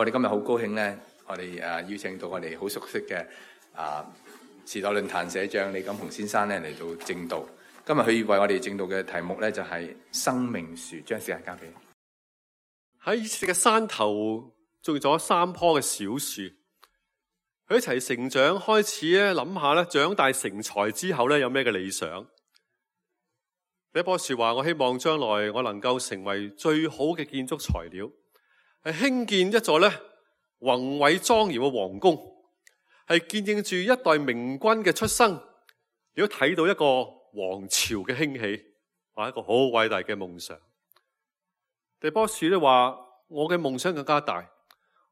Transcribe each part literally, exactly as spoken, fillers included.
我哋今日好高興咧，我哋誒邀請到我哋好熟悉嘅啊時代論壇社長李錦鴻先生咧嚟到證道。今日佢為我哋證道嘅題目咧就係生命樹，將時間交俾你。喺以色列嘅山頭種咗三棵嘅小樹，佢一齊成長，開始咧諗下咧長大成才之後咧有咩嘅理想。第一棵樹話：我希望將來我能夠成為最好嘅建築材料，係興建一座咧宏偉莊嚴嘅皇宮，係見證住一代明君嘅出生，亦都睇到一個王朝嘅興起，係一個好偉大嘅夢想。第二棵樹咧話：我嘅夢想更加大，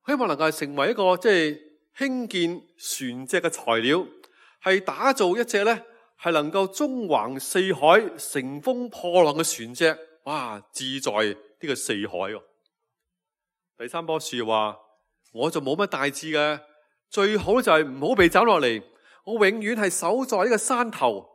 希望能夠成為一個即係興建船隻嘅材料，係打造一隻咧係能夠縱橫四海、乘風破浪嘅船隻。哇！志在呢個四海喎。第三棵樹話：我就冇乜大志嘅，最好就係唔好被斬落嚟。我永遠係守在呢個山頭，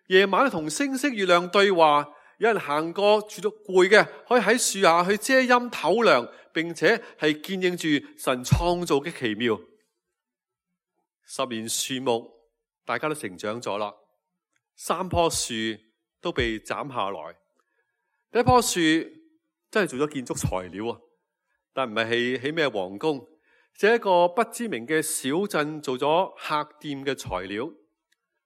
夜晚同星星月亮對話。有人行過住到攰嘅，可以喺樹下去遮陰透涼，並且係見證住神創造嘅奇妙。十年樹木，大家都成長咗啦。三棵樹都被斬下來。第一棵樹真係做咗建築材料啊，但唔係起起咩皇宮，只係一個不知名嘅小鎮做咗客店嘅材料，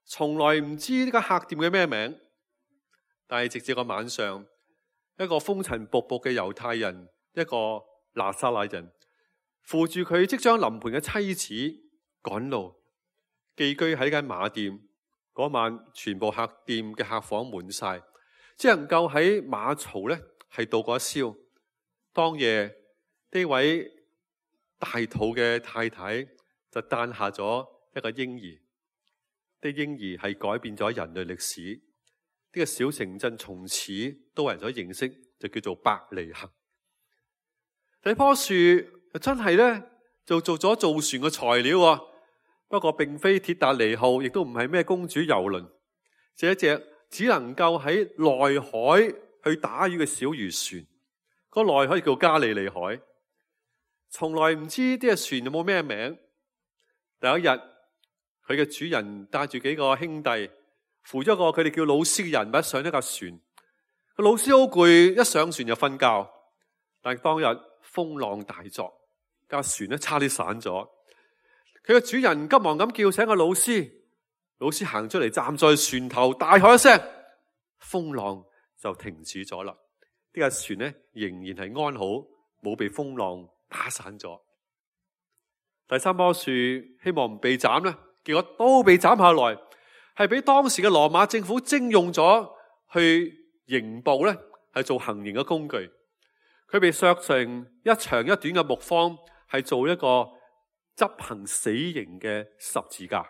從來唔知呢個客店嘅咩名。但係直至個晚上，一個風塵僕僕嘅猶太人，一個拿撒勒人，扶住佢即將臨盆嘅妻子趕路，寄居喺間馬店。嗰晚全部客店嘅客房滿晒，只能夠喺馬槽咧係度過一宵。當夜呢位大肚嘅太太就誕下咗一個嬰兒，啲嬰兒係改變咗人類歷史。呢個小城鎮從此都為人所認識，就叫做伯利恆。第一棵樹真係咧就做咗造船嘅材料啊，不過並非鐵達尼號，亦都唔係咩公主遊輪，只係一隻只能夠喺內海去打魚嘅小漁船。個內海叫加利利海，從來唔知呢隻船有冇咩名。第一日，佢嘅主人帶住幾個兄弟，扶咗個佢哋叫老師嘅人物上一架船。個老師好攰，一上船就瞓覺。但係當日風浪大作，架船咧差啲散咗。佢嘅主人急忙咁叫醒個老師，老師行出嚟站在船頭，大喝一聲，風浪就停止咗啦。呢架船咧仍然係安好，冇被風浪打散咗。第三棵樹希望唔被斬咧，結果都被斬下來。係俾當時嘅羅馬政府徵用咗去刑捕咧，係做行刑嘅工具。佢被削成一長一短嘅木方，係做一個執行死刑嘅十字架。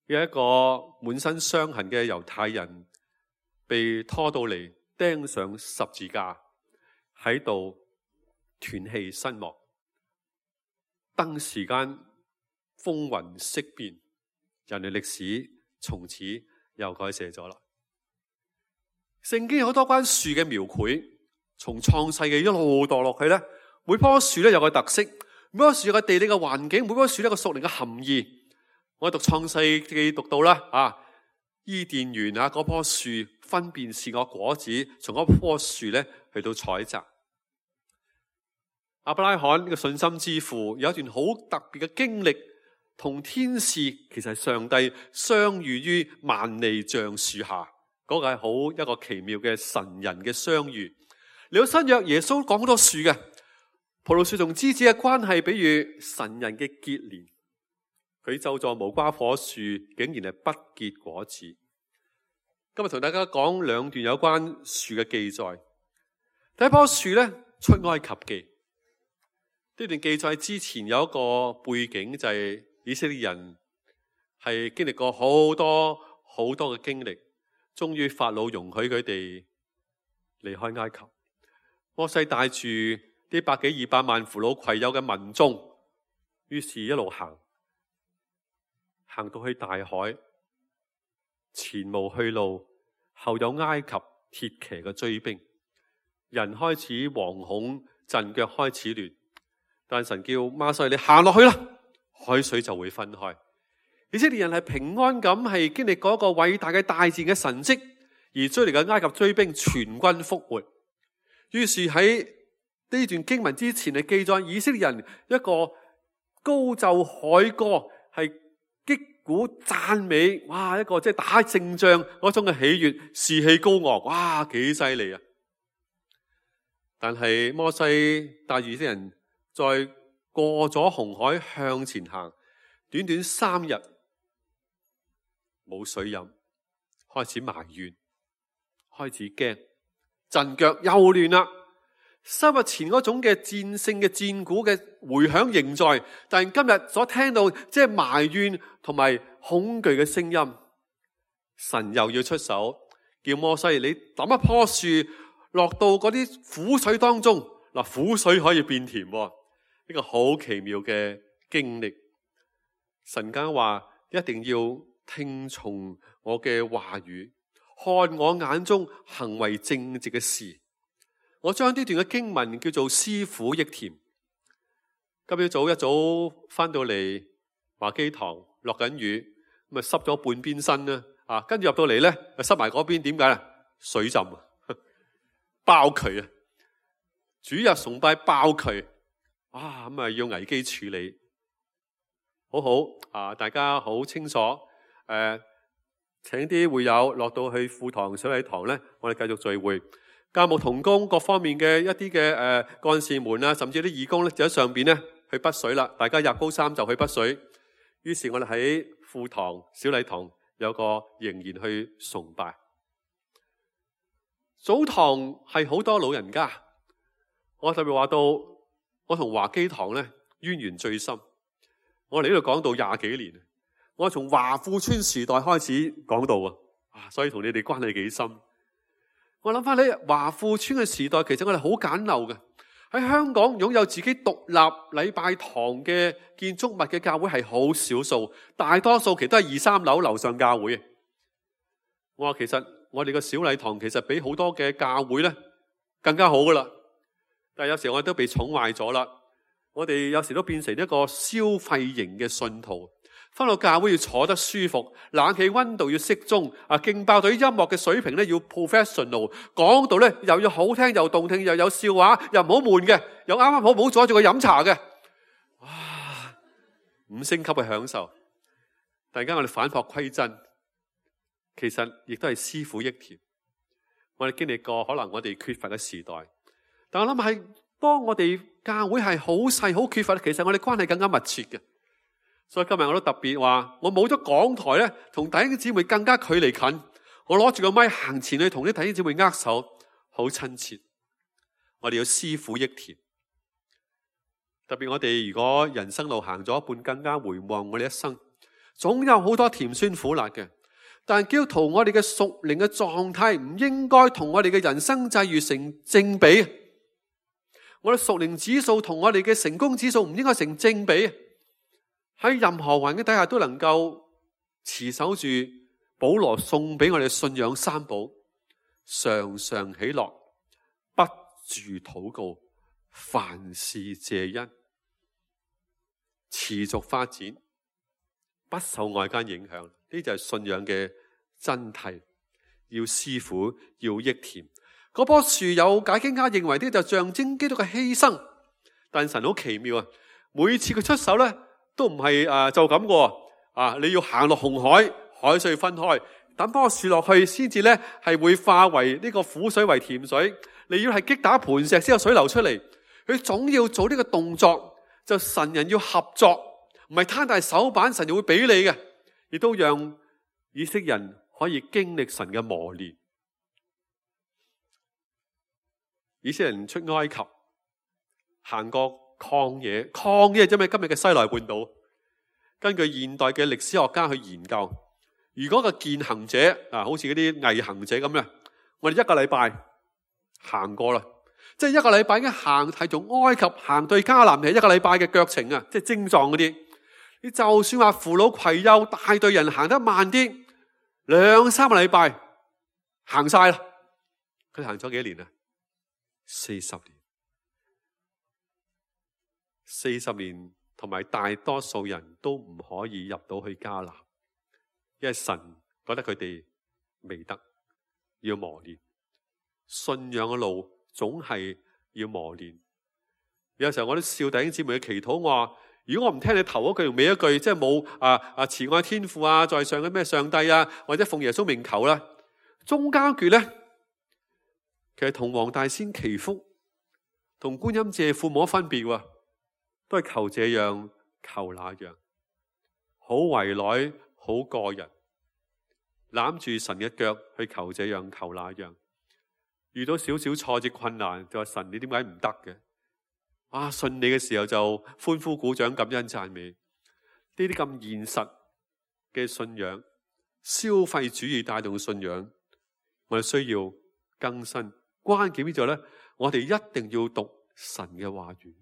有一個滿身傷痕嘅猶太人被拖到嚟釘上十字架，喺度斷氣身亡。登時間風雲色變，人類歷史從此又改寫咗啦。聖經有好多關樹嘅描繪，從創世嘅一路墮落去咧，每棵樹咧有個特色，每棵樹有個地理嘅環境，每棵樹咧有個屬靈嘅含義。我讀創世記讀到啦，啊，伊甸園啊，嗰棵樹分辨是我果子，從嗰棵樹咧去到採摘。亞伯拉罕呢個信心之父有一段好特別嘅經歷。同天使其實係上帝相遇於萬利橡樹下，嗰、那個係好一個奇妙嘅神人嘅相遇。嚟到新約，耶穌講好多樹嘅葡萄樹同枝子嘅關係，比喻神人嘅結連。佢咒詛無花果樹，竟然係不結果子。今日同大家講兩段有關樹嘅記載。第一棵樹咧，出埃及記。呢段記載之前有一個背景，就係、是。以色列人係經歷過好多好多嘅經歷，終於法老容許佢哋離開埃及。摩西帶住啲百幾二百萬扶老攜幼嘅民眾，於是一路行，行到去大海，前無去路，後有埃及鐵騎嘅追兵，人開始惶恐，陣腳開始亂。但神叫摩西你行落去啦，海水就會分開。以色列人係平安咁係經歷過一個偉大嘅大自然嘅神蹟，而追嚟嘅埃及追兵全軍覆沒。於是喺呢段經文之前係記載以色列人一個高奏凱歌，係擊鼓讚美，哇！一個即係打勝仗嗰種嘅喜悅，士氣高昂，哇！幾犀利啊！但係摩西帶住以色列人再過咗紅海向前行，短短三日冇水飲，開始埋怨，開始驚，陣腳又亂啦。三日前嗰種嘅戰勝嘅戰鼓嘅回響仍在，但係今日所聽到即係埋怨同埋恐懼嘅聲音，神又要出手，叫摩西你抌一棵樹落到嗰啲苦水當中，嗱，苦水可以變甜，呢個好奇妙嘅經歷。神家話一定要聽從我嘅話語，看我眼中行為正直嘅事。我將呢段嘅經文叫做師傅益田。今朝早一早翻到嚟華基堂，落緊雨，咁啊濕咗半邊身啦，啊，跟住入到嚟咧，濕埋嗰邊，點解咧？水浸啊，爆渠啊！主日崇拜爆渠，啊，咁啊要危機處理，好好啊！大家好清楚，誒、呃，請啲會友落到去副堂、水禮堂咧，我哋繼續聚會。教牧同工各方面嘅一啲嘅誒幹事們啊，甚至啲義工咧就喺上邊咧去滗水啦。大家入高三就去滗水。於是我哋喺副堂、小禮堂有個仍然去崇拜。早堂係好多老人家，我特別話到，我同華基堂咧淵源最深。我哋呢度講到廿幾年，我從華富村時代開始講到啊，所以同你哋關係幾深。我諗翻起華富村嘅時代，其實我哋好簡陋嘅。喺香港擁有自己獨立禮拜堂嘅建築物嘅教會係好少數，大多數其實都係二三樓樓上教會。我話其實我哋嘅小禮堂其實比好多嘅教會咧更加好噶啦，但係有時我哋都被寵壞咗啦。我哋有時都變成一個消費型嘅信徒。翻到教會要坐得舒服，冷氣溫度要適中，啊，勁爆隊音樂嘅水平咧要 professional， 講到咧又要好聽又動聽，又有笑話，又唔好悶嘅，又啱啱好唔好阻住佢飲茶嘅，哇！五星級嘅享受。突然間我哋反璞歸真，其實亦都係師傅益田。我哋經歷過可能我哋缺乏嘅時代，但我諗係當我哋教會係好細好缺乏，其實我哋關係更加密切嘅。所以今日我都特別話，我冇咗講台咧，同弟兄姊妹更加距離近。我攞住個咪行前去同啲弟兄姊妹握手，好親切。我哋要師傅益田。特別我哋如果人生路行咗一半，更加回望我哋一生，總有好多甜酸苦辣嘅。但基督徒我哋嘅屬靈嘅狀態唔應該同我哋嘅人生際遇成正比。我哋屬靈指數同我哋嘅成功指數唔應該成正比。喺任何環境底下都能夠持守住保羅送俾我哋信仰三寶：常常喜樂，不住禱告，凡事謝恩，持續發展，不受外間影響。呢就係信仰嘅真諦。要師傅，要益田。嗰棵樹有解經家認為呢就象徵基督嘅犧牲，但神好奇妙啊！每次佢出手咧，都唔係誒就咁個啊！你要行落紅海，海水分開，等棵樹落去，先至咧係會化為呢個苦水為甜水。你要係擊打磐石先有水流出嚟。佢總要做呢個動作，就神人要合作，唔係攤大手板，神就會俾你嘅，亦都讓以色列人可以經歷神嘅磨練。以色列人出埃及，行過曠野，曠野即係今日嘅西奈半島。根據現代嘅歷史學家去研究，如果個健行者啊，好似嗰啲毅行者咁咧，我哋一個禮拜行過啦，即係一個禮拜已經行係從埃及行到迦南係一個禮拜嘅腳程啊，即係精壯嗰啲。你就算話扶老攜幼大隊人行得慢啲，兩三個禮拜行晒啦。佢行咗幾年啊？四十年。四十年同埋大多數人都唔可以入到去迦南，因為神覺得佢哋未得，要磨練。信仰嘅路總係要磨練。有時候我都笑弟兄姊妹嘅祈禱，我話如果我唔聽你頭一句同尾一句，即係冇啊啊慈愛天父啊，在上嘅咩上帝啊，或者奉耶穌名求啦，中間句咧，其實同黃大仙祈福、同觀音借庫冇乜分別喎，都係求這樣求那樣，好為內好個人，攬住神嘅腳去求這樣求那樣，遇到少少挫折困難就話神你點解唔得嘅？啊，信你嘅時候就歡呼鼓掌感恩讚美，呢啲咁現實嘅信仰，消費主義帶動嘅信仰，我哋需要更新。關鍵呢就咧，我哋一定要讀神嘅話語。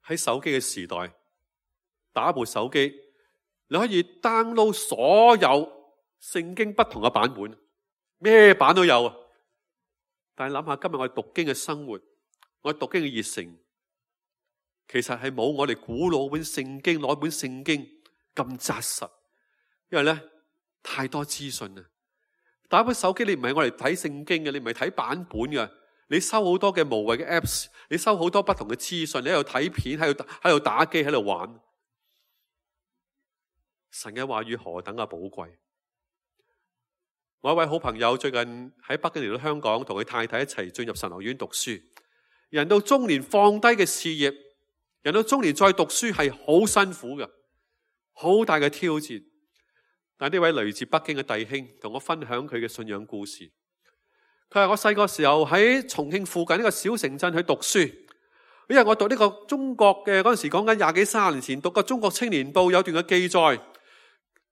喺手機嘅時代，打部手機，你可以 download 所有聖經不同嘅版本，咩版都有啊。但係諗下今日我哋讀經嘅生活，我哋讀經嘅熱誠，其實係冇我哋古老本聖經攞本聖經咁紮實，因為咧太多資訊啦。打部手機你唔係我哋睇聖經嘅，你唔係睇版本嘅，你收好多嘅無謂嘅 apps， 你收好多不同嘅資訊，你喺度睇片，喺度喺度打機，喺度玩。神嘅話語何等嘅寶貴！我一位好朋友最近喺北京嚟到香港，同佢太太一齊進入神學院讀書。人到中年放低嘅事業，人到中年再讀書係好辛苦嘅，好大嘅挑戰。但呢位來自北京嘅弟兄同我分享佢嘅信仰故事。佢話我細個時候喺重慶附近呢個小城鎮去讀書，因為我讀呢個中國嘅嗰陣時講緊廿幾三十年前讀個中國青年報有段嘅記載，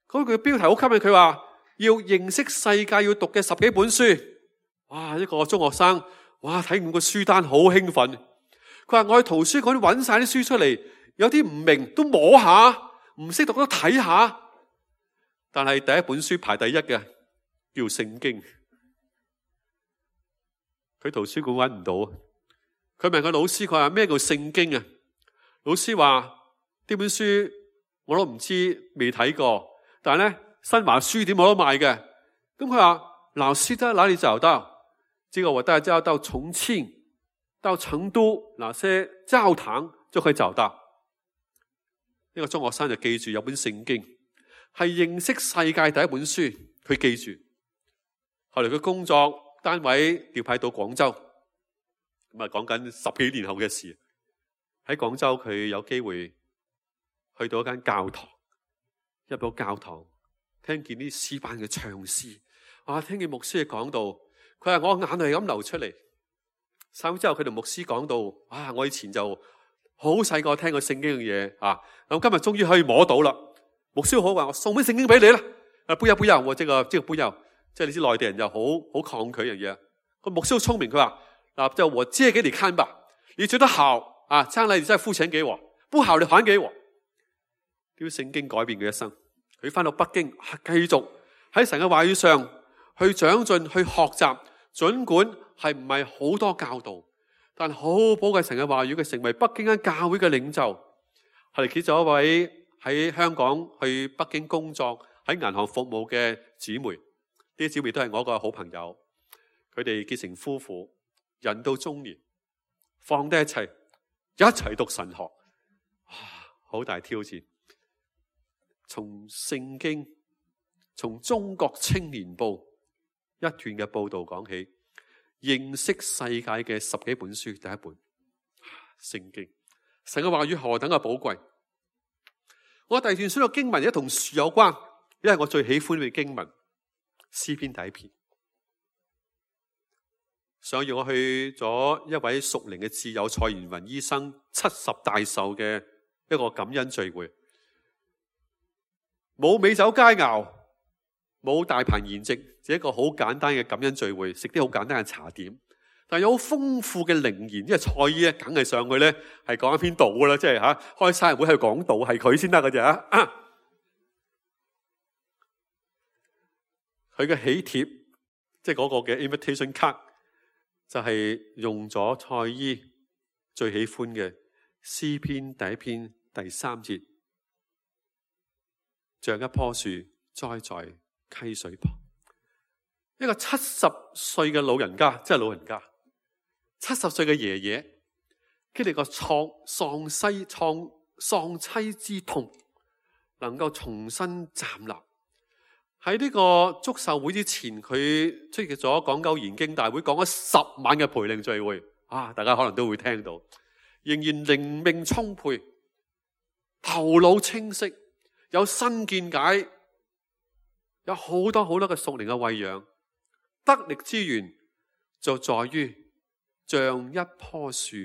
嗰句標題好吸引佢，話要認識世界要讀嘅十幾本書。哇！一個中學生，哇！睇完個書單好興奮。佢話我去圖書館揾晒啲書出嚟，有啲唔明都摸下，唔識讀都睇下。但係第一本書排第一嘅叫聖經，佢圖書館揾唔到。佢問個老師，佢話咩叫聖經啊？老師話呢本書我都唔知，未睇過。但係咧新華書店冇得賣嘅。咁佢話老師在哪裡找到？這個我大家到重慶、到成都哪些教堂就可以找到。呢個中學生就記住有本聖經。係認識世界第一本書，佢記住。後來佢工作單位調派到廣州，咁啊講緊十幾年後嘅事。喺廣州佢有機會去到一間教堂，入到教堂聽見啲詩班嘅唱詩，啊聽見牧師嘅講道，佢話我眼淚咁流出嚟。三日之後佢同牧師講到，啊我以前就好細個聽過聖經嘅嘢啊，咁今日終於可以摸到啦。牧師好話我送本聖經俾你啦，啊不要不要，我這個這個不要，即係你知內地人就好好抗拒樣嘢。個牧師好聰明，佢話嗱就我借給你看吧，你覺得好啊，將來你再付錢給我，不好你還給我。啲聖經改變佢一生，佢翻到北京繼續喺神嘅話語上去長進去學習，盡管係唔係好多教導，但好寶貴神嘅話語，佢成為北京間教會嘅領袖，後嚟結咗一位喺香港去北京工作喺銀行服務嘅姊妹，呢啲姊妹都係我一個好朋友。佢哋結成夫婦，人到中年，放低一切，一齊讀神學，好大挑戰。從聖經，從中國青年報一段嘅報道講起，認識世界嘅十幾本書，第一本聖經，神嘅話語何等嘅寶貴。我第二段書嘅經文亦同樹有關，因為我最喜歡嘅經文詩篇第一篇。上月我去咗一位屬靈嘅摯友蔡元雲醫生七十大壽嘅一個感恩聚會，冇美酒佳肴，冇大盤筵席，只係一個好簡單嘅感恩聚會，食啲好簡單嘅茶點，但有好豐富嘅靈言，因為蔡醫咧梗係上去咧係講一篇道噶啦，即係吓開生日會去講道，係佢先得嘅啫。佢嘅喜帖，即係嗰個嘅 invitation card，就係用咗蔡醫最喜歡嘅詩篇第一篇第三節，像一棵樹栽在溪水旁。一個七十歲嘅老人家，即係老人家，七十歲嘅爺爺，經歷過喪喪妻喪喪妻之痛，能夠重新站立。喺呢個祝壽會之前，佢出席咗講究研經大會，講咗十晚嘅培靈聚會。啊，大家可能都會聽到，仍然靈命充沛，頭腦清晰，有新見解，有好多好多嘅屬靈嘅餵養。得力之源就在於像一棵樹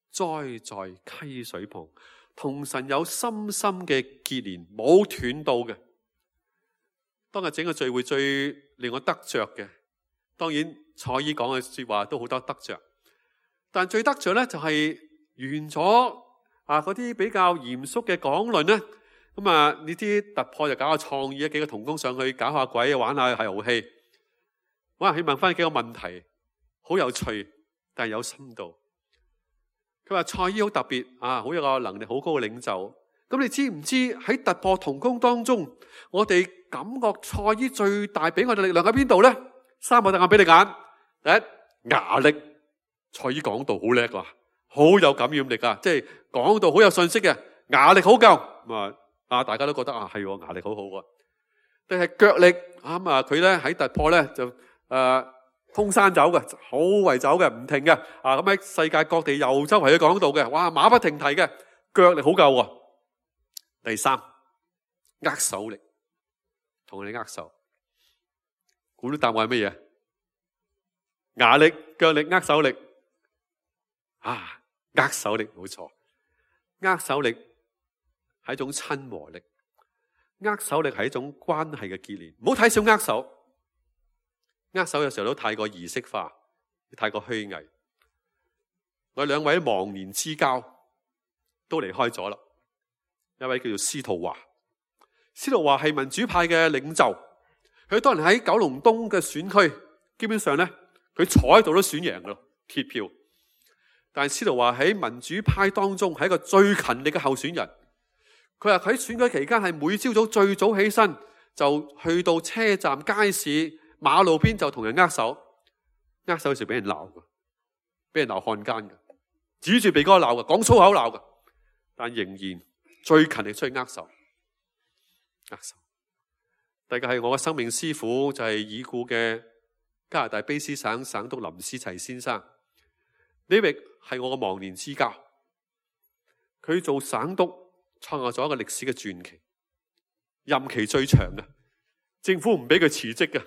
栽在溪水旁，同神有深深嘅結連，冇斷到嘅。當日整個聚會最令我得着嘅，當然蔡姨講嘅說話都好多得着，但最得着咧就係完咗啊嗰啲比較嚴肅嘅講論咧，咁啊呢啲突破就搞下創意，幾個同工上去搞下鬼，玩下遊戲。我係問翻幾個問題，好有趣，但係有深度。佢話蔡姨好特別啊，好有個能力好高嘅領袖。咁你知唔知喺突破同工當中，我哋感覺蔡姨最大俾我哋力量喺邊度咧？三個答案俾你揀。第一，牙力，蔡姨講道好叻啊，好有感染力啊，即係講道好有信息嘅，牙力好夠。咁啊啊，大家都覺得啊係牙力好好啊。定係腳力啱啊？佢咧喺突破咧就。誒、呃，通山走嘅，好為走嘅，唔停嘅，啊咁喺世界各地遊周圍去講道嘅，哇馬不停蹄嘅，腳力好夠啊。第三，握手力，同你握手，估到答案係乜嘢？牙力、腳力、握手力，啊，握手力冇錯，握手力係一種親和力，握手力係一種關係嘅結連，唔好睇小握手。握手有時候都太過儀式化，太過虛偽。我兩位忘年之交都離開咗啦。一位叫做司徒華，司徒華係民主派嘅領袖，佢當年喺九龍東嘅選區，基本上咧佢坐喺度都選贏咯，鐵票。但係司徒華喺民主派當中係一個最勤力嘅候選人。佢話喺選舉期間係每朝早最早起身，就去到車站、街市、馬路邊就同人握手，握手嘅時候俾人鬧嘅，俾人鬧漢奸嘅，指住鼻哥鬧嘅，講粗口鬧嘅，但仍然最勤力出去握手，握手。第二個係我嘅生命師傅，就係已故嘅加拿大卑詩省省督林思齊先生，呢位係我嘅忘年之交。佢做省督創下咗一個歷史嘅傳奇，任期最長嘅，政府唔俾佢辭職嘅。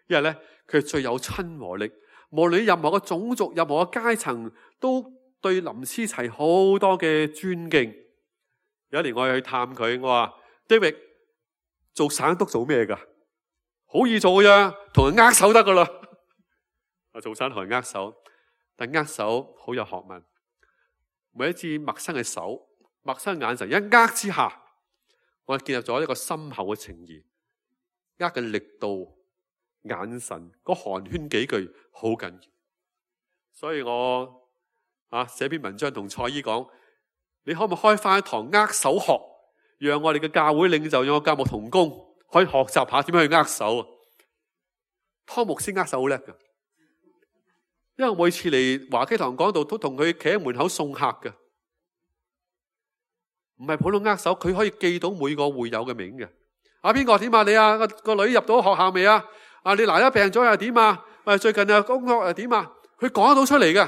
因為咧，佢最有親和力，無論任何嘅種族、任何嘅階層，都對林思齊好多嘅尊敬。有一年我去探佢，我話 David 做省督做咩噶？好易做嘅啫，同人握手得噶啦。我做省同人握手，但握手好有學問。每一次陌生嘅手、陌生嘅眼神，一握之下，我建立咗一個深厚嘅情誼。握嘅力度。眼神嗰寒暄幾句好緊要，所以我啊寫篇文章同蔡姨講，你可唔可以開翻一堂握手學，讓我哋嘅教會領袖，讓我教牧同工可以學習下點樣去握手啊？湯牧師握手好叻噶，因為我每次嚟華基堂講道都同佢企喺門口送客噶，唔係普通握手，佢可以記到每個會友嘅名嘅。啊邊個點啊？你啊個個女入到學校未啊？啊！你奶奶病咗又點啊？誒，最近啊工作又點啊？佢講得到出嚟嘅。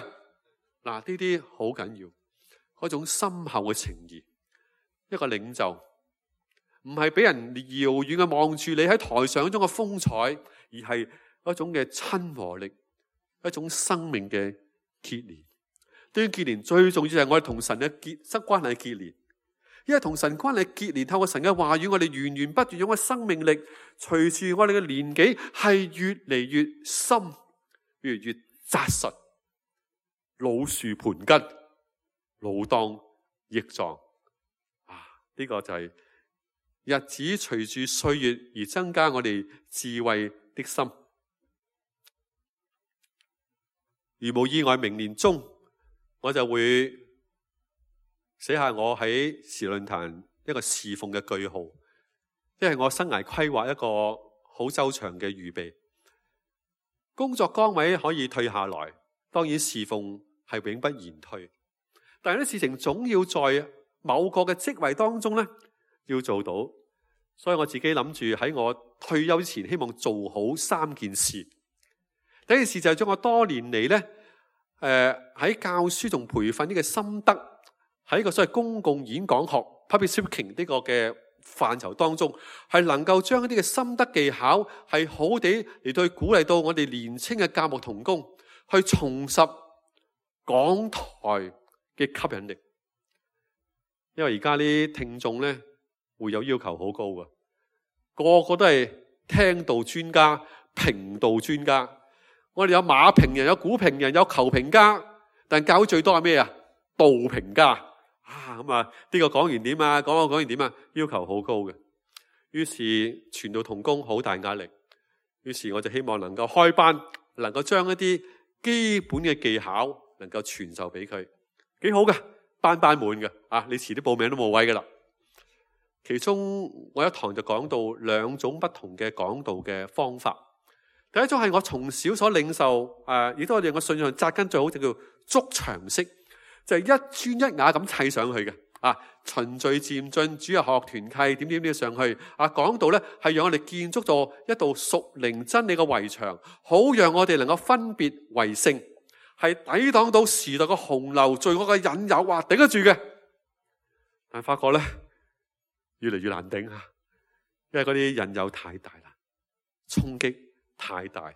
嗱，呢啲好緊要，嗰種深厚嘅情誼。一個領袖唔係俾人遙遠嘅望住你喺台上嗰種嘅風采，而係一種嘅親和力，一種生命嘅結連。對於結連最重要就係我哋同神嘅結失關係結連。因為同神關係結連，透過神嘅話語，我哋源源不斷用嘅生命力，隨住我哋嘅年紀係越嚟越深，越嚟越紮實，老樹盤根，老當益壯。啊，呢、這個就係日子隨住歲月而增加我哋智慧的心。如無意外，明年中我就會寫下我喺時論壇一個侍奉嘅句號，因為我生涯規劃一個好周詳嘅預備。工作崗位可以退下來，當然侍奉係永不言退，但係啲事情總要在某個嘅職位當中咧要做到。所以我自己諗住喺我退休之前，希望做好三件事。第一件事就係將我多年嚟咧，誒、呃、喺教書同培訓呢個心得，喺一個所謂公共演講學 public speaking 呢個嘅範疇當中，係能夠將一啲嘅心得技巧係好地嚟到去鼓勵到我哋年輕嘅教牧同工，去重拾講台嘅吸引力。因為而家啲聽眾咧會有要求好高嘅，個個都係聽道專家、評道專家。我哋有馬評人、有股評人、有球評家，但教會最多係咩啊？道評家啊，咁啊呢個講完點啊？講講講完點啊？要求好高嘅。於是傳道同工好大壓力。於是我就希望能夠開班，能夠將一啲基本嘅技巧能夠傳授俾佢，幾好嘅，班班滿嘅啊！你遲啲報名都冇位噶啦。其中我一堂就講到兩種不同嘅講道嘅方法。第一種係我從小所領受，誒、呃，亦都我哋我信仰紮根最好就叫築牆式，就係、是、一磚一瓦咁砌上去嘅，啊，循序漸進，主日學團契點點點上去，啊，講道咧係讓我哋建築咗一道屬靈真理嘅圍牆，好讓我哋能夠分別為聖，係抵擋到時代嘅洪流、罪惡嘅引誘，話頂得住嘅。但係發覺咧越嚟越難頂啊，因為嗰啲引誘太大啦，衝擊太大，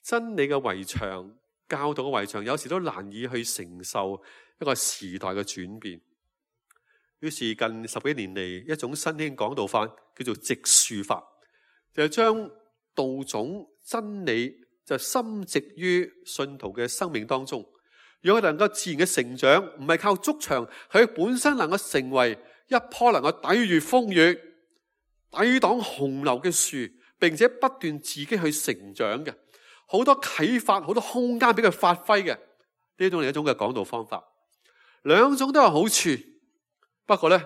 真理嘅圍牆、教導嘅圍牆，有時都難以去承受一個時代嘅轉變。於是近十幾年嚟，一種新興講道法叫做植樹法，就係將道種真理就深植於信徒嘅生命當中，讓佢能夠自然嘅成長，唔係靠築牆，係佢本身能夠成為一棵能夠抵禦風雨、抵擋洪流嘅樹，並且不斷自己去成長嘅，好多啟發，好多空間俾佢發揮嘅，呢種係一種嘅講道方法。兩種都有好處，不過咧，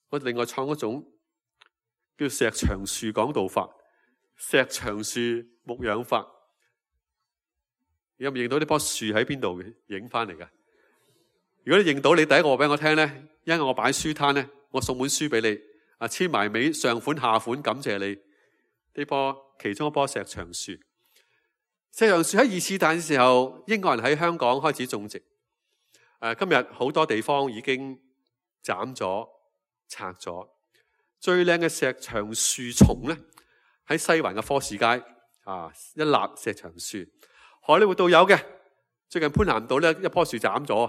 我另外創一種叫石牆樹講道法、石牆樹牧養法。有冇認到呢棵樹喺邊度影翻嚟噶？如果你認到，你第一個話俾我聽咧，因為我擺書攤咧，我送本書俾你，啊，簽埋尾上款下款，感謝你。呢棵其中一棵石牆樹，石牆樹喺二次大戰嘅時候，英國人喺香港開始種植。誒，今日好多地方已經斬咗、拆咗。最靚嘅石牆樹叢咧，喺西環嘅科士街啊，一立石牆樹。荷里活道有嘅，最近潘南道咧一棵樹斬咗，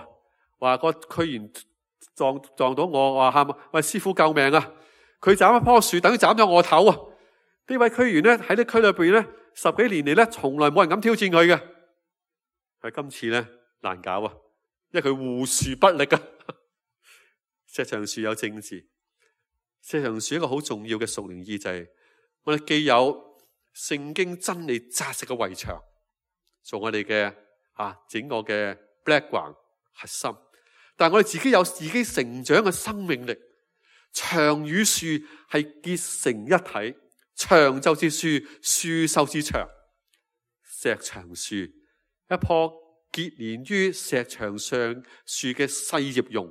話個區員撞撞到我，話喊喂，師傅救命啊！佢斬一棵樹，等於斬咗我頭啊！呢位區員咧喺啲區裏邊咧十幾年嚟咧，從來冇人敢挑戰佢嘅，係今次咧難搞啊！因為佢護樹不力啊！石牆樹有政治，石牆樹一個好重要嘅屬靈意義，我哋既有聖經真理紮實嘅圍牆，做我哋嘅啊整個嘅 background 核心，但係我哋自己有自己成長嘅生命力，牆與樹係結成一體。牆就是樹，樹就是牆。石牆樹，一棵結連於石牆上樹嘅細葉榕，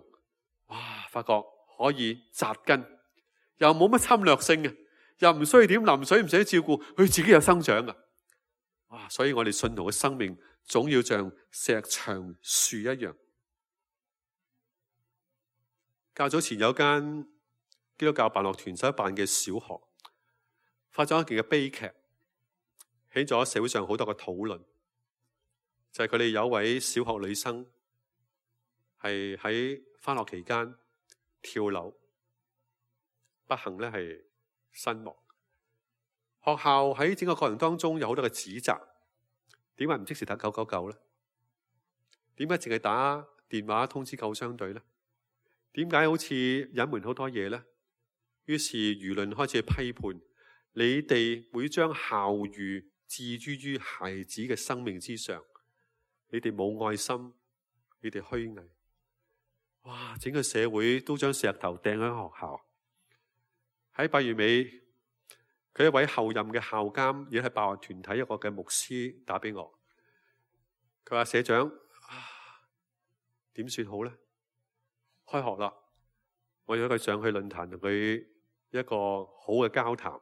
哇！發覺可以扎根，又冇乜侵略性嘅，又唔需要點淋水，唔使照顧，佢自己有生長噶。哇！所以我哋信徒嘅生命總要像石牆樹一樣。較早前有間基督教辦樂團所辦嘅小學，發生一件嘅悲劇，起咗社會上好多嘅討論，就係佢哋有位小學女生係喺返學期間跳樓，不幸咧係身亡。學校喺整個過程當中有好多嘅指責，點解唔即時打九九九咧？點解淨係打電話通知救傷隊咧？點解好似隱瞞好多嘢咧？於是輿論開始批判。你哋會將校譽置諸於孩子嘅生命之上，你哋冇愛心，你哋虛偽。哇！整個社會都將石頭掟喺學校。喺八月尾，佢一位後任嘅校監，亦係辦學團體一個嘅牧師打俾我。佢話：社長，點算好咧？開學啦，我約佢上去論壇同佢一個好嘅交談，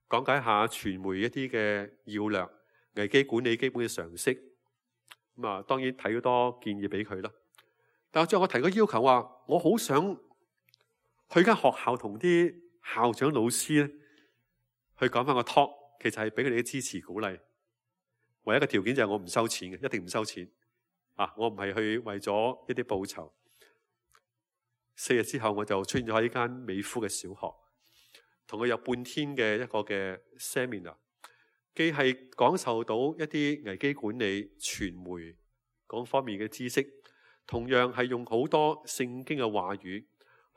講解下傳媒一啲嘅要略、危機管理基本嘅常識。咁啊，當然睇好多建議俾佢啦。但係最後我提個要求話，我好想去間學校同啲校長老師咧，去講翻個 talk，其實係俾佢哋嘅支持鼓勵。唯一嘅條件就係我唔收錢嘅，一定唔收錢。啊，我唔係去為咗一啲報酬。四日之後，我就出現咗喺呢間美孚嘅小學，同佢有半天嘅一個嘅 seminar， 既係講授到一啲危機管理、傳媒嗰方面嘅知識，同樣係用好多聖經嘅話語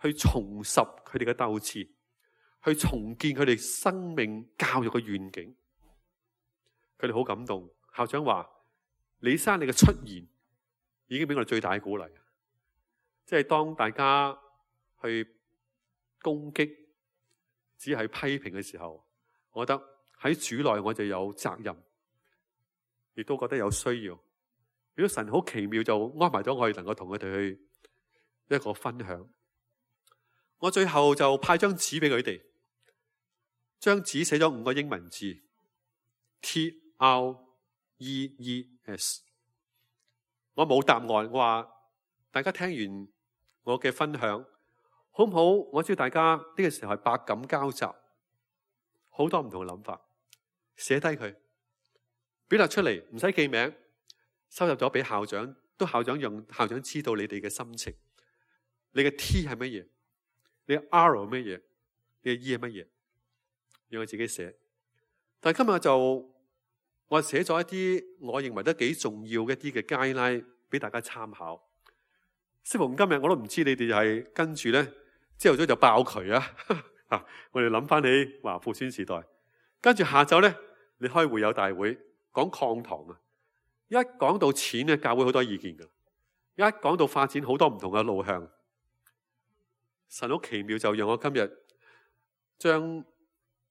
去重拾佢哋嘅鬥志，去重建佢哋生命教育嘅願景。佢哋好感動。校長話：李生，你嘅出現已經俾我哋最大嘅鼓勵。即係當大家去攻擊、只係批評嘅時候，我覺得喺主內我就有責任，亦都覺得有需要。如果神好奇妙就安排咗我哋能夠同佢哋去一個分享。我最後就派張紙俾佢哋，張紙寫咗五個英文字 T R E E S。我冇答案，我話大家聽完我嘅分享好唔好？我知道大家呢個時候係百感交集，好多唔同嘅諗法，寫低佢，表達出嚟，唔使記名，收入咗俾校長，都校長讓校長知道你哋嘅心情。你嘅 T 係乜嘢？你嘅 R 係乜嘢？你嘅 E 係乜嘢？讓我自己寫。但係今日就我寫咗一啲我認為都幾重要嘅一啲嘅 guideline俾大家參考。適逢今日我都唔知你哋係跟住咧，朝頭早就爆渠啊！啊，我哋諗翻起華富村時代，跟住下晝咧，你開會友大會講擴堂啊！一講到錢咧，教會好多意見噶；一講到發展，好多唔同嘅路向。神好奇妙，就讓我今日將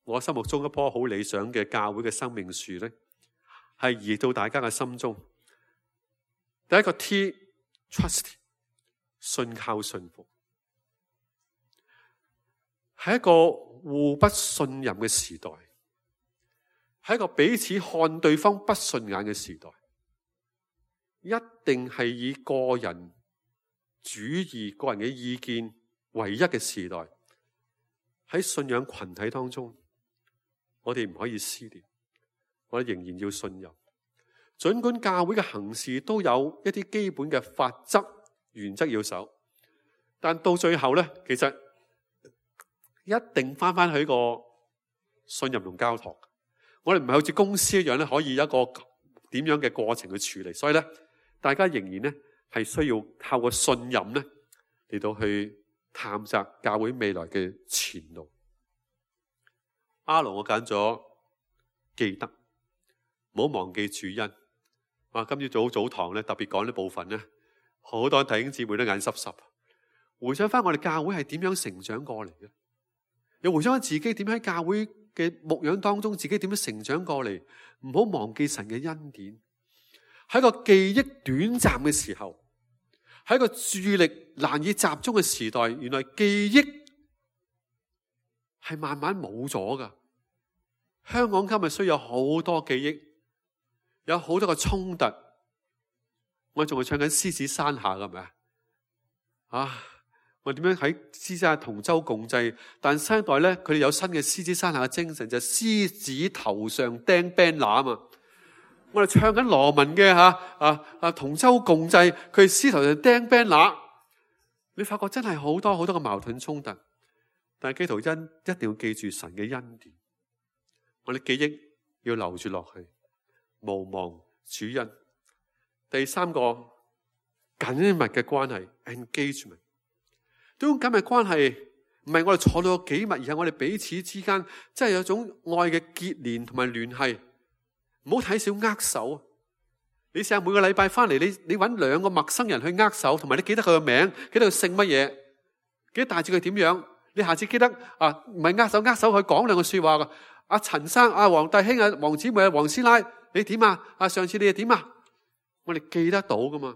我心目中一棵好理想嘅教會嘅生命樹咧，係移到大家嘅心中。第一個 T，trust， 信靠信服，係一個互不信任嘅時代，係一個彼此看對方不順眼嘅時代，一定係以個人主義、個人嘅意見唯一嘅時代。喺信仰群體當中，我哋唔可以撕裂，我哋仍然要信任。儘管教會嘅行事都有一啲基本嘅法則原則要守，但到最後咧，其實一定翻翻去個信任同交託。我哋唔係好似公司一樣咧，可以一個點樣嘅過程去處理。所以咧，大家仍然咧係需要透過信任咧嚟到去探索教會未來嘅前路。阿龍，我揀咗記得，唔好忘記主恩。啊，今朝早早堂咧特別講呢部分咧，好多弟兄姊妹都眼濕濕。回想翻我哋教會係點樣成長過嚟嘅，又回想翻自己點喺教會嘅牧養當中，自己點樣成長過嚟。唔好忘記神嘅恩典。喺個記憶短暫嘅時候，喺個注意力難以集中嘅時代，原來記憶係慢慢冇咗噶。香港今日需要好多記憶，有好多個衝突。我仲係唱緊獅子山下噶，係咪啊？啊！我點樣喺獅子山下同舟共濟？但新一代咧，佢哋有新嘅獅子山下嘅精神，就係、是、獅子頭上釘 banner 啊嘛！我哋唱緊羅文嘅吓啊啊同舟共濟，佢哋獅頭上釘 banner，你發覺真係好多好多嘅矛盾衝突。但係基督恩一定要記住神嘅恩典，我哋記憶要留住落去，無忘主恩。第三個緊密嘅關係 engagement， 呢種緊密關係唔係我哋坐到幾密，而係我哋彼此之間真係有種愛嘅結連同埋聯繫。唔好睇小握手，你試下每個禮拜翻嚟，你你揾兩個陌生人去握手，同埋你記得佢個名，記得佢姓乜嘢，記得大致佢點樣。你下次記得啊，唔係握手握手，去講兩句說話噶。阿陳生、阿黃弟兄、阿黃姊妹、阿黃師奶，你點啊？啊，上次你又點啊？我哋記得到噶嘛？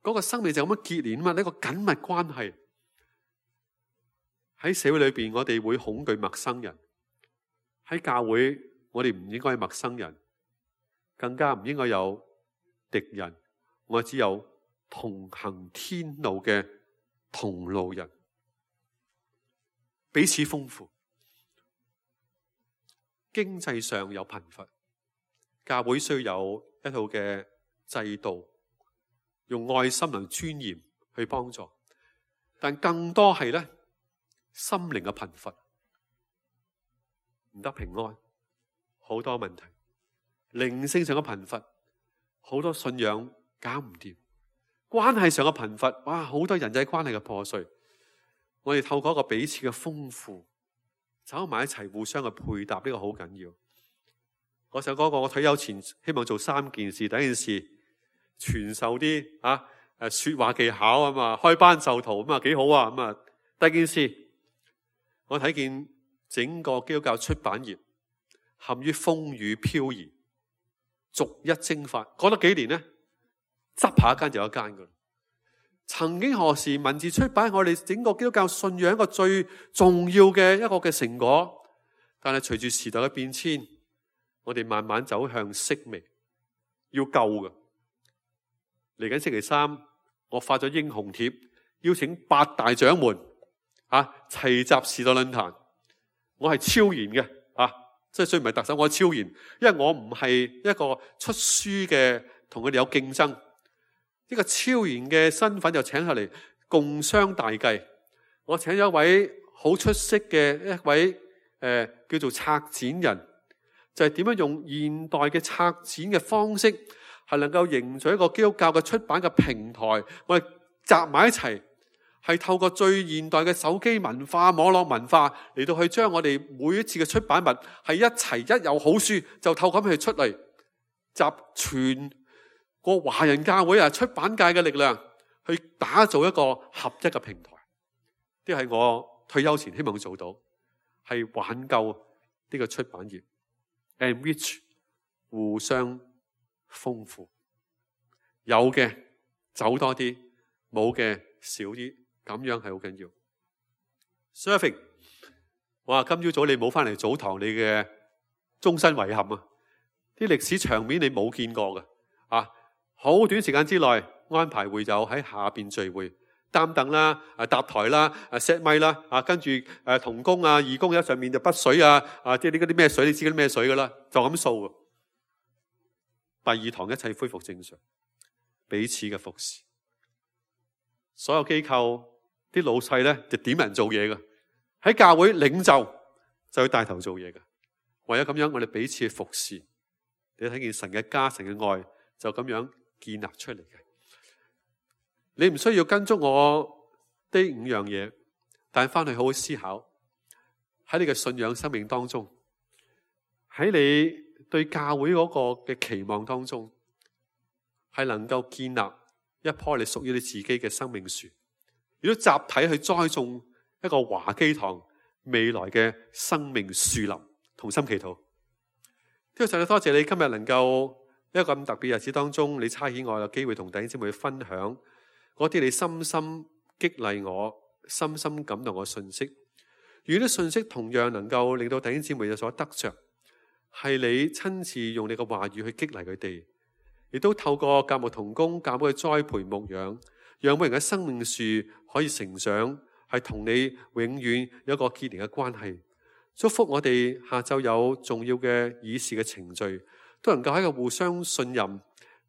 嗰個生命就咁樣結連啊嘛，呢個緊密關係。喺社會裏邊，我哋會恐懼陌生人；喺教會，我哋唔應該係陌生人，更加唔應該有敵人。我只有同行天路嘅同路人，彼此豐富。經濟上有貧乏，教會需要有一套嘅制度，用愛心同尊嚴去幫助。但更多係咧，心靈嘅貧乏，唔得平安，好多問題；靈性上嘅貧乏，好多信仰搞唔掂；關係上嘅貧乏，哇，好多人際關係嘅破碎。我哋透過一個彼此嘅豐富，走埋一齊，互相嘅配搭，呢個好緊要。我想講過，我退休前希望做三件事。第一件事，傳授啲啊誒說話技巧啊嘛，開班授徒咁啊，幾好啊咁啊。第二件事，我睇見整個基督教出版業陷於風雨飄移，逐一蒸發。講咗幾年呢，執下一間就有一間噶。曾經何時文字出版係我哋整個基督教信仰一個最重要嘅一個嘅成果，但係隨住時代嘅變遷，我哋慢慢走向式微，要救嘅。嚟緊星期三，我發咗英雄帖，邀請八大掌門啊齊集時代論壇。我係超然嘅啊，即係雖然唔係特首，我係超然，因為我唔係一個出書嘅，同佢哋有競爭。呢個超然嘅身份就請下嚟共商大計。我請咗一位好出色嘅一位誒、呃、叫做策展人，就係點樣用現代嘅策展嘅方式，係能夠凝聚一個基督教嘅出版嘅平台。我哋集埋一齊，係透過最現代嘅手機文化、網絡文化嚟到去將我哋每一次嘅出版物係一齊，一有好書就透過咁去出嚟，集全個華人教會啊，出版界嘅力量去打造一個合一嘅平台。呢係我退休前希望做到，係挽救呢個出版業 ，enrich 互相豐富，有嘅走多啲，冇嘅少啲，咁樣係好緊要。Surfing， 我話今朝早你冇翻嚟早堂，你嘅終身遺憾啊！啲歷史場面你冇見過嘅啊！好短時間之內安排會友喺下邊聚會，擔凳啦、啊搭台啦、啊 set 咪啦，啊跟住誒同工啊、義工喺上面就筆水啊，啊即係呢啲咩水，你知嗰啲咩水噶啦，就咁掃。第二堂一切恢復正常，彼此嘅服侍。所有機構啲老細咧就點人做嘢噶，喺教會領袖就要帶頭做嘢噶。唯有咁樣，我哋彼此嘅服侍，你睇見神嘅家、神嘅愛就咁樣建立出嚟嘅。你唔需要跟足我呢五樣嘢，但係翻去好好思考，喺你嘅信仰生命當中，喺你對教會嗰個嘅期望當中，係能夠建立一棵你屬於你自己嘅生命樹，亦都集體去栽種一個華基堂未來嘅生命樹林。同心祈禱。天父上帝，多謝你今日能夠一個咁特別日子當中，你差遣我有機會同弟兄姊妹去分享嗰啲你深深激勵我、深深感動我嘅信息。如果啲信息同樣能夠令到弟兄姊妹有所得着，係你親自用你嘅話語去激勵佢哋，亦都透過教牧同工、教會嘅栽培牧養，讓每人嘅生命樹可以成長，係同你永遠有一個結連嘅關係。祝福我哋下晝有重要嘅議事嘅程序，都能夠喺個互相信任、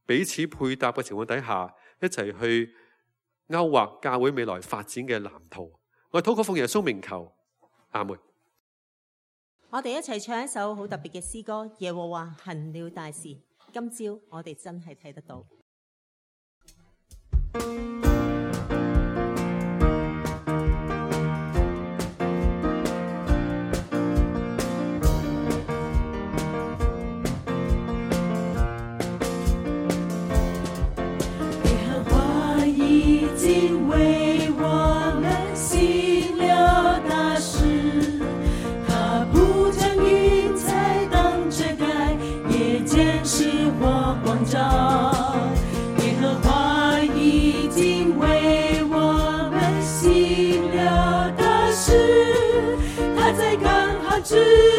彼此配搭嘅情況底下，一齊去勾畫教會未來發展嘅藍圖。我禱告奉耶穌名求，阿門。我哋一齊唱一首好特別嘅詩歌《耶和華行了大事》。今朝我哋真係睇得到。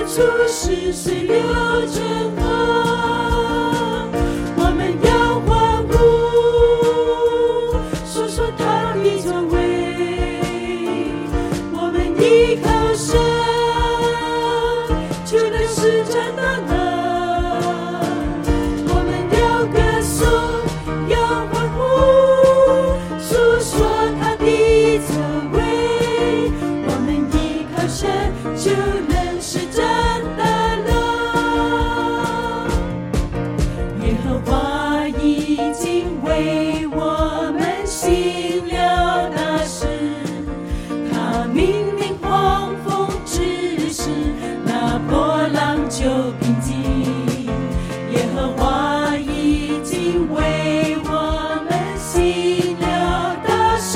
处是水流成河，我们要欢呼，说说他的作为，我们依靠神，就能施展大能，我们要歌颂，要欢呼，诉说他的作为，我们依靠神，就能施展大能。耶和华已经为我们行了大事，他命令狂风止息，那波浪就平静。耶和华已经为我们行了大事，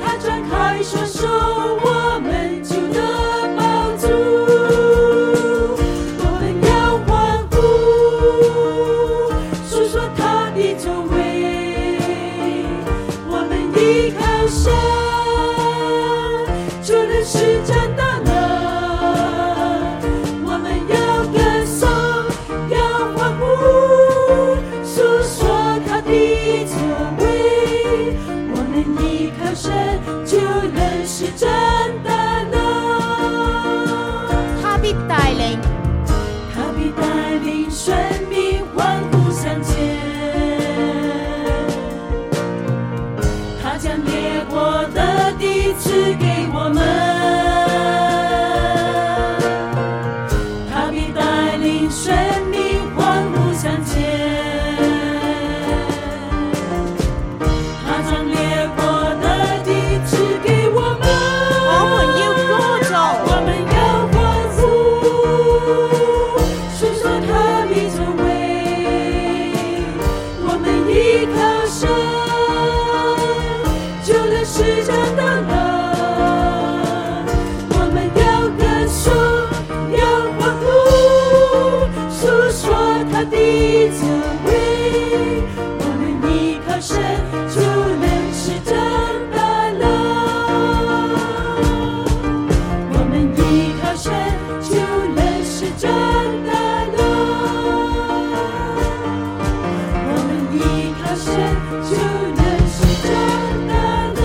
他展开双手，我们就得饱足。我们要欢呼，说说他的作为，我们依靠神，就能施展大能。我们要歌颂，要欢呼，诉说他的作为，我们依靠神，就能施展大能。他必帶領，他必帶領生命歡呼向前，他將列國的地賜給我們，他必帶領生命歡呼向前，他將列國的地賜給我們，我們要歌頌。我們要歡呼，說說他的作為，我們依靠神，就能施展大能。我們要歌頌，要歡呼，訴說他的作為，我們依靠神，就能施展大能。我們依靠神，就能施展大能。我們依靠神，就能施展大能。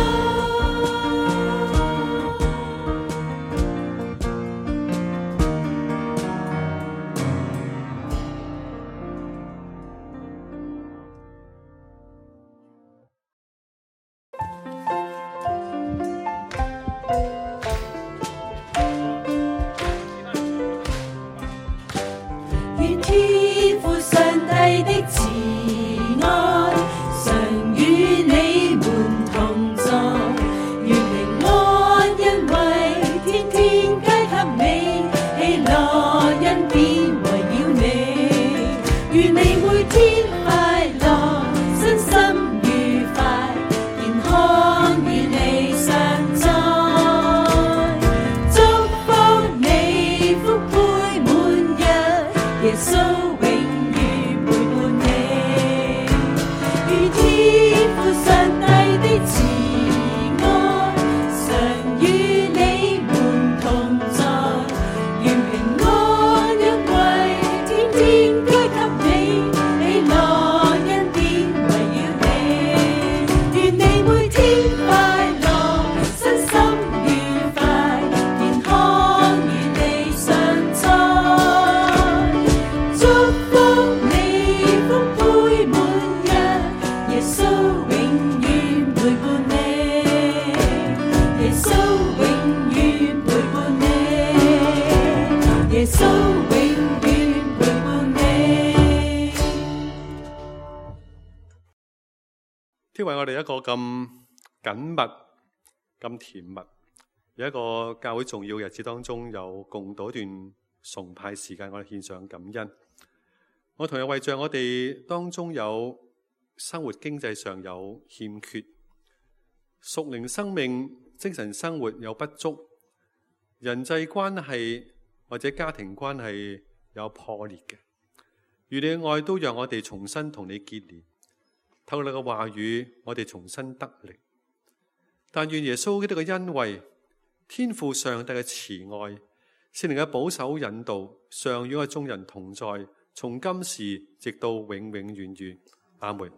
願天父上帝的慈愛常與你們同在，願平安恩惠天天皆給你，喜樂恩典圍繞你，願你每天快樂，身心愉快，健康與你常在，祝福你福杯滿溢，耶穌永遠陪伴你，與天父上帝的慈愛常與你們同在，願平安恩惠天天皆給你，喜樂恩典圍繞你，願你每天快樂，身心愉快，健康與你常在，祝福你福杯滿溢，耶穌永遠陪伴你，耶穌永遠陪伴你，耶穌永遠陪伴你。天為我哋一個咁緊密、咁甜蜜，有一個教會重要日子當中有共度一段崇拜時間，我哋獻上感恩。我同樣為着我哋當中有生活經濟上有欠缺，屬靈生命、精神生活有不足，人際關係或者家庭關係有破裂嘅，願你嘅愛都讓我哋重新同你結連，透過你嘅話語，我哋重新得力。但願耶穌基督嘅恩惠、天父上帝嘅慈愛、聖靈嘅保守引導，常與我眾人同在，從今時直到永永遠遠。阿門。